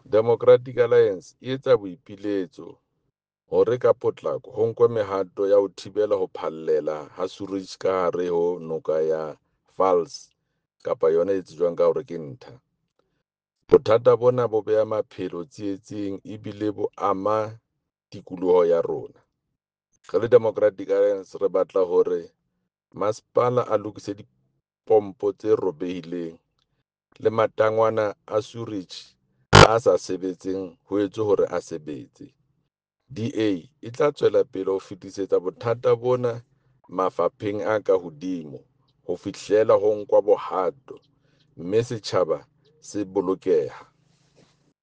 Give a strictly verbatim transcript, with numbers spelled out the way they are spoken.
Democratic Alliance e etsa boipiletso hore ka potlako ho nkwe mehato ya ho thibela ho phallela ha sewerage ka hare ho noka ya Vaals kapa yona e tsejwang ka hore ke Ntha. Bothata bona bo beha maphelo tsietsing ebile bo ama tikoloho ya rona. Re le Democratic Alliance re batla hore masepala a lokise dipompo tse robehileng le matangwana a sewerage a sa sebetseng ho etswe hore a sebetse. D A e tla tswela pele ho fetisetsa bothata bona mafapheng a ka hodimo ho fihlela ho nkwa bohato mme setjhaba se bolokeha.